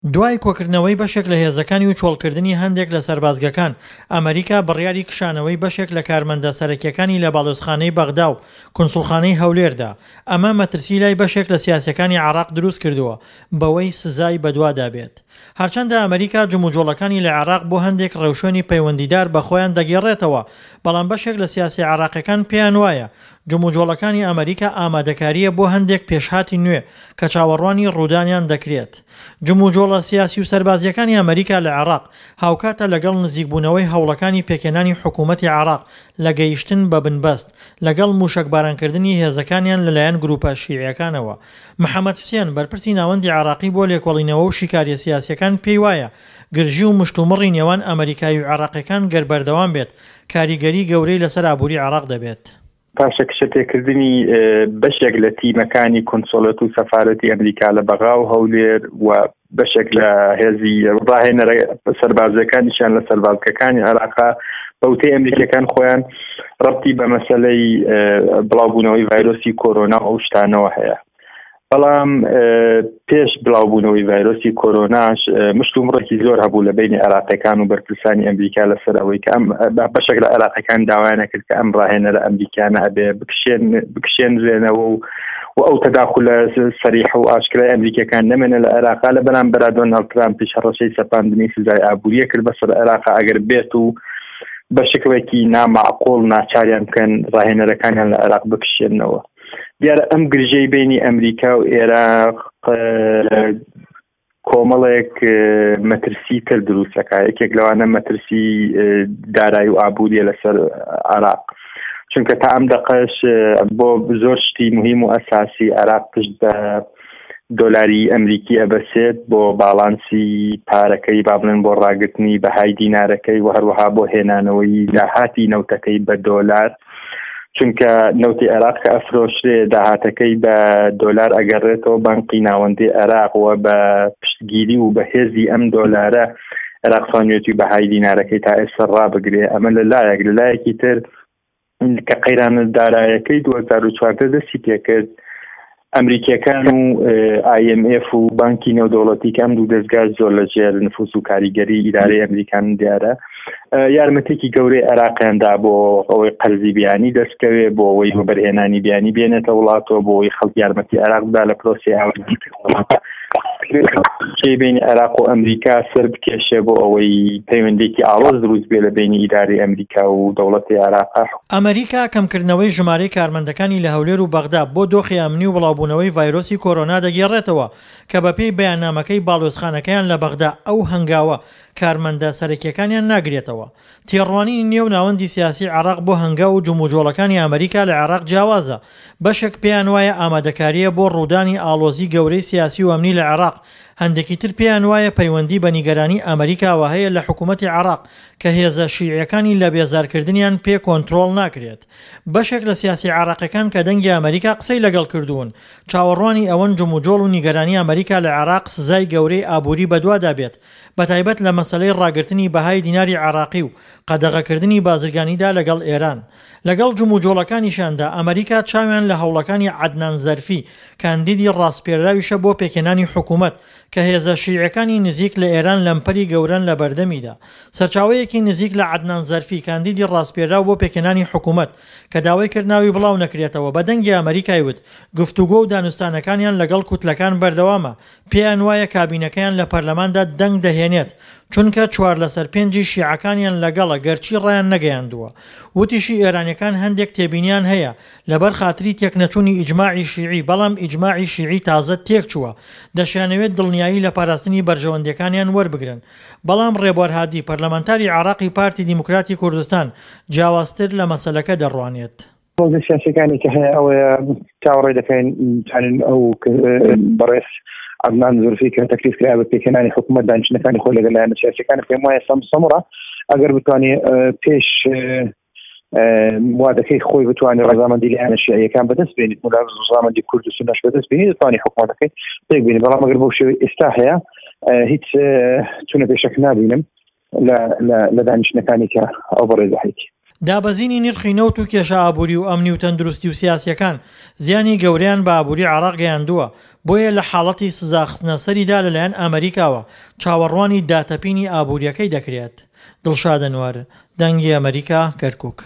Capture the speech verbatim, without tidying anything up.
دوای کۆکردنەوەی بەشێک لە هێزەکانی و چۆڵکردنی هەندێک لە سەربازگەکان، ئەمەریکا بڕیاری کشانەوەی بەشێک لە کارمەندە سەرەکیەکانی لە باڵیۆزخانەی بەغدا و کونسوڵخانەی هەولێردا، ئەمە مەترسی لای بەشێک لە سیاسیەکانی عێراق دروستکردووە بەوەی سزای بەدوادا بێت. هەرچەندە ئەمەریکا جموجۆڵەکانی لە عێراق بۆ هەندێک ڕێوشوێنی پەیوەندیدار بە خۆیان دەگێڕێتەوە، بەڵام بەشێک لە سیاسیە عێراقیەکان پێیان وایە جموجۆڵەکانی ئەمەریکا ئامادەکارییە بۆ هەندێک پێشهاتی نوێ کە چاوەڕوانی ڕوودانیان دەکرێت. جموجۆڵە سیاسی و سەربازییەکانی ئەمەریکا لە عێراق هاوکاتە لەگەڵ نزیکبوونەوەی هەوڵەکانی پێکهێنانی حکوومەتی عێراق لە گەیشتن بە بنبەست لەگەڵ مووشەکبارانکردنی هێزەکانیان لەلایەن گرووپە شیعیەکانەوە. محەمەد حسێن، بەرپرسی ناوەندی عێراقی بۆ لێکۆڵینەوە و شیکارییە سیاسییەکان پێیوایە گرژی و مشتومڕی نێوان ئەمەریکایی و عێراقیەکان گەر بەردەوام بێت کاریگەری گەورەی لەسەر ئابووری عێراق دەبێت. پاشەکشەپێکردنی بەشێک لە تیمەکانی کونسوڵەت و سەفارەتی ئەمریکا لە بەغا و هەولێر و بەشێک لە هێزی ڕاهێنەرە سەربازیەکانیشیان لە سەربازگەکانی عێراقا بەوتەی ئەمریکیەکان خۆیان ڕەبتی بە مەسەلەی بڵاوبوونەوەی ڤایرۆسی کۆرۆنا و ئەو شتانەوە هەیە. بەڵام پێش بڵاوبوونەوەی ڤایرۆسی کۆرۆناش مشتومڕێکی زۆر هەبوو لە بینی عێراقیەکان و بەرپرسانی ئەمریکا لەسەر ئەوەی کە ئەم بەشێک لە عێراقیەکان داوایان کرد کە ئەم ڕاهێنەرە ئەمریکانە ئەبێ بکشێنرێنەوە و و ئەو تەداخولە سەریح و ئاشکرای ئەمریکیەکان نەمێنە لە عێراقا. لە بەرامبەرا دۆناڵد ترامپیش هەڕەشەی سەپاندنی سزای ئابووریە کرد بەسەر عێراقا ئەگەر بێت و بە شکڵێکی نامعقول ناچاریان بکەن ڕاهێنەرەکانیان لە عێراق بکشێنەوە. دیارە ئەم گرژەی بینی ئەمریکا و عێراق کۆمەڵێک مەترسی تر دروستەکە، یەکێک لەوانە مەترسی دارایی و ئابووریە لەسەر عێراق، چونکە تا ئەم دەقەش بۆ زۆر شتی مهم و ئەساسی عێراق پشت بە دۆلاری ئەمریکی ئەبەسێت بۆ باڵانسی پارەکەی، با بڵێن بۆ ڕاگرتنی بەهای دینارەکەی و هەروەها بۆ هێنانەوەی داهاتی نەوتەکەی بە دۆلار، چونکە نەوتی عێراق کە ئەفرۆشرێ داهاتەکەی بە دۆلار ئەگەڕێتەوە بانقی ناوەندی عێراق و بە پشتگیری و بە هێزی ئەم دۆلارە عێراق توانیویەتی بەهای دینارەکەی تا ئێستا ڕابگرێ. ئەمە لە لایەک، لە لایەکی تر کە قەیرانە دارایەکەی دوو هەزار و چواردە دەستی پێکرد، ئەمریکیەکان و ئای ئێم ئێف و بانکی نێودەوڵەتی کە ئەم دوو دەستگا زۆر لە ژێر نفوس و کاریگەری ئیدارەی ئەمریکان دیارە یارمەتێکی گەورەی عێراقیاندا بۆ ئەوەی قەرزی بیانی دەستکەوێ، بۆ ئەوەی وەبەرهێنانی بیانی بێنێتە وڵاتەوە، بۆ ئەوەی خەڵک یارمەتی عێراق بدا لە پرۆسەی ئاوەدانکردنەوە. بینی عێراق و ئەمریکا سەر بکێشێ بۆ ئەوەی پەیوەندێکی ئاڵۆز دروست بێ لە بینی ئیدارەی ئەمریکا و دەوڵەتی عێراق. ئەمریکا کەمکردنەوەی ژمارەی کارمەندەکانی لە هەولێر و بەغدا بۆ دۆخی ئەمنی و بڵاوبوونەوەی ڤایرۆسی کۆرۆنا دەگێڕێتەوە کە بەپێی بەیاننامەکەی باڵیۆزخانەکەیان لە بەغدا ئەو هەنگاوە کارمەندە سەرەکیەکانیان ناگرێتەوە. تێڕوانینی نێو ناوەندی سیاسی عێراق بۆ هەنگاو و جموجۆڵەکانی ئەمریکا لە عێراق جیاوازە، بەشێک پێیان وایە ئامادەکارییە بۆ ڕوودانی ئاڵۆزی گەورەی سیاسی و ئەمنی لە عێراق، هەندێکی تر پێیان وایە پەیوەندی بە نیگەرانی ئەمریکاوە هەیە لە حکوومەتی عێراق کە هێزە شیعیەکانی لە بێزارکردنیان پێ کۆنترۆڵ ناکرێت. بەشێک لە سیاسی عێراقیەکان کە دەنگی ئەمریکا قسەی لەگەڵ کردوون چاوەڕوانی ئەوەن جموجۆڵ و نیگەرانی ئەمریکا لە عێراق سزای گەورەی ئابووری بەدوادا بێت، بەتایبەت لە مەسەلەی ڕاگرتنی بەهای دیناری عێراقی و قەدەغەکردنی بازرگانیدا لەگەڵ ئێران. لەگەڵ جموجۆڵەکانیشیاندا ئەمریکا چاویان لە هەوڵەکانی عەدنان زەرفی کاندیدی ڕاسپێرراویشە بۆ پێکهێنانی حکوومەت کە هێزە شیعیەکانی نزیک لە ئێران لەمپەری گەورەن لە بەردەمیدا. سەرچاوەیەکی نزیک لە عەدنان زەرفی کاندیدی ڕاسپێرراو بۆ پێکهێنانی حکوومەت کە داوای کرد ناوی بڵاو نەکرێتەوە بە دەنگی ئەمریکای وت گفتوگۆ و دانوستانەکانیان لەگەڵ کوتلەکان بەردەوامە، پێیان وایە کابینەکەیان لە پەرلەماندا دەنگ دەهێنێت چونکە چوار لەسەر پێنجی شیعەکانیان لەگەڵە گەرچی ڕایان نەگەیاندووە. وتیشی ئێرانیەکان هەندێک تێبینیان هەیە لەبەر خاتری تێکنەچوونی ئیجماعی شیعی، بەڵام ئیجماعی شیعی تازە تێکچووە، دەشیانەوێت دڵنیایی لە پاراستنی بەرژەوەندیەکانیان وەربگرن. بەڵام ڕێبوار هادی پەرلەمانتاری عێراقی پارتی دیموکراتی کوردستان جیاوازتر لە مەسەلەکە دەڕوانێت. ڕۆژە سیاسەکانی کە هەیە ئەوەیە چاوەڕێ دەکەین بتوانین ئەو بەڕێز عەدنان زورفی کە تەکلیف کرا بە پێکهێنانی حکوومەت دانیشتنەکانی خۆی لەگەڵ لایەنە سیاسیەکان، پێم وایە سەمسەمڕە ئەگەر بتوانێت پێش وادەکەی خۆی بتوانێت ڕەزامەندی لایەنە شیعیەکان بەدەست بێنێت و ڕەزامەندی کورد و سوننەش بەدەست بێنێت دەتوانێت حکوومەتەکەی پێک بێنێت. بەڵام ئەگەر بەو شێوەی ئێستا هەیە هیچ چونە پێشەک نابینم لە دانیشتنەکانی کە ئەو بەڕێزە هەیە. دابەزینی نرخی نەوت و کێشە ئابووری و ئەمنی و تەندروستی و سیاسییەکان زیانی گەورەیان بە ئابووری عێراق گەیاندووە، بۆیە لە حاڵەتی سزاخستنە سەریدا لەلایەن ئەمریکاوە چاوەڕوانی داتەپینی ئابوورییەکەی دەکرێت. دڵشاد ئەنوەر، دەنگی ئەمەریکا، کەرکوک.